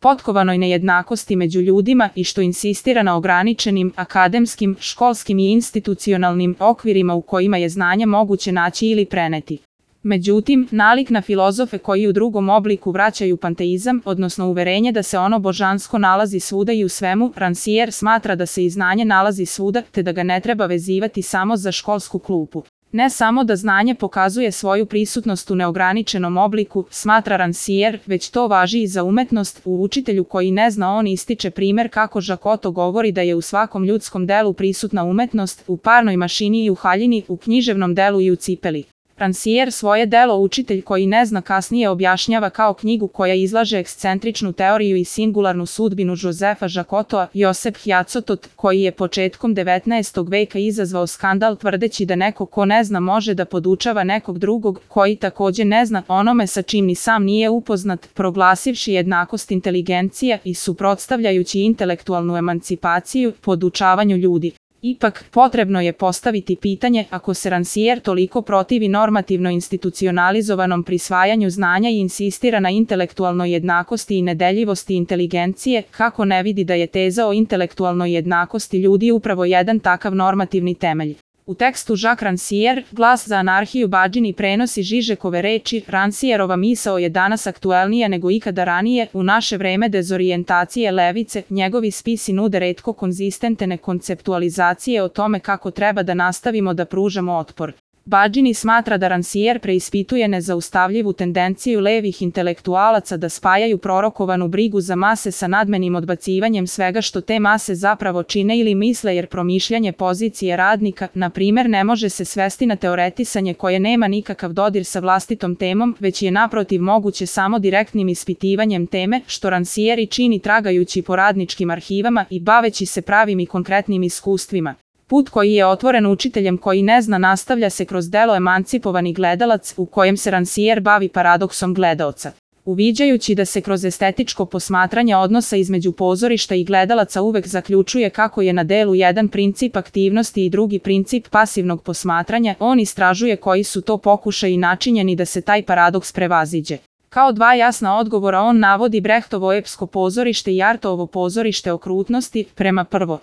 potkovanoj nejednakosti među ljudima i što insistira na ograničenim, akademskim, školskim i institucionalnim okvirima u kojima je znanje moguće naći ili preneti. Međutim, nalik na filozofe koji u drugom obliku vraćaju panteizam, odnosno uverenje da se ono božansko nalazi svuda i u svemu, Rancière smatra da se i znanje nalazi svuda, te da ga ne treba vezivati samo za školsku klupu. Ne samo da znanje pokazuje svoju prisutnost u neograničenom obliku, smatra Rancière, već to važi i za umetnost. U Učitelju koji ne zna on ističe primer kako Žakoto govori da je u svakom ljudskom delu prisutna umetnost, u parnoj mašini i u haljini, u književnom delu i u cipeli. Rancière svoje delo Učitelj koji ne zna kasnije objašnjava kao knjigu koja izlaže ekscentričnu teoriju i singularnu sudbinu Josefa Žakotoa. Josep Hjacotot, koji je početkom 19. veka izazvao skandal tvrdeći da neko ko ne zna može da podučava nekog drugog koji takođe ne zna onome sa čim ni sam nije upoznat, proglasivši jednakost inteligencije i suprotstavljajući intelektualnu emancipaciju podučavanju ljudi. Ipak, potrebno je postaviti pitanje, ako se Rancière toliko protivi normativno institucionalizovanom prisvajanju znanja i insistira na intelektualnoj jednakosti i nedeljivosti inteligencije, kako ne vidi da je teza o intelektualnoj jednakosti ljudi upravo jedan takav normativni temelj. U tekstu Jacques Rancière, Glas za anarhiju Badžini prenosi Žižekove reči, Rancièrova misao je danas aktuelnija nego ikada ranije, u naše vreme dezorijentacije levice, njegovi spisi nude retko konzistentne konceptualizacije o tome kako treba da nastavimo da pružamo otpor. Badžini smatra da Rancière preispituje nezaustavljivu tendenciju levih intelektualaca da spajaju prorokovanu brigu za mase sa nadmenim odbacivanjem svega što te mase zapravo čine ili misle, jer promišljanje pozicije radnika, na primer, ne može se svesti na teoretisanje koje nema nikakav dodir sa vlastitom temom, već je naprotiv moguće samo direktnim ispitivanjem teme, što Rancière i čini tragajući po radničkim arhivama i baveći se pravim i konkretnim iskustvima. Put koji je otvoren Učiteljem koji ne zna nastavlja se kroz delo Emancipovani gledalac, u kojem se Rancière bavi paradoksom gledaoca. Uviđajući da se kroz estetičko posmatranje odnosa između pozorišta i gledalaca uvek zaključuje kako je na delu jedan princip aktivnosti i drugi princip pasivnog posmatranja, on istražuje koji su to pokušaji načinjeni da se taj paradoks prevaziđe. Kao dva jasna odgovora on navodi Brehtovo epsko pozorište i Artovo pozorište okrutnosti, prema prvo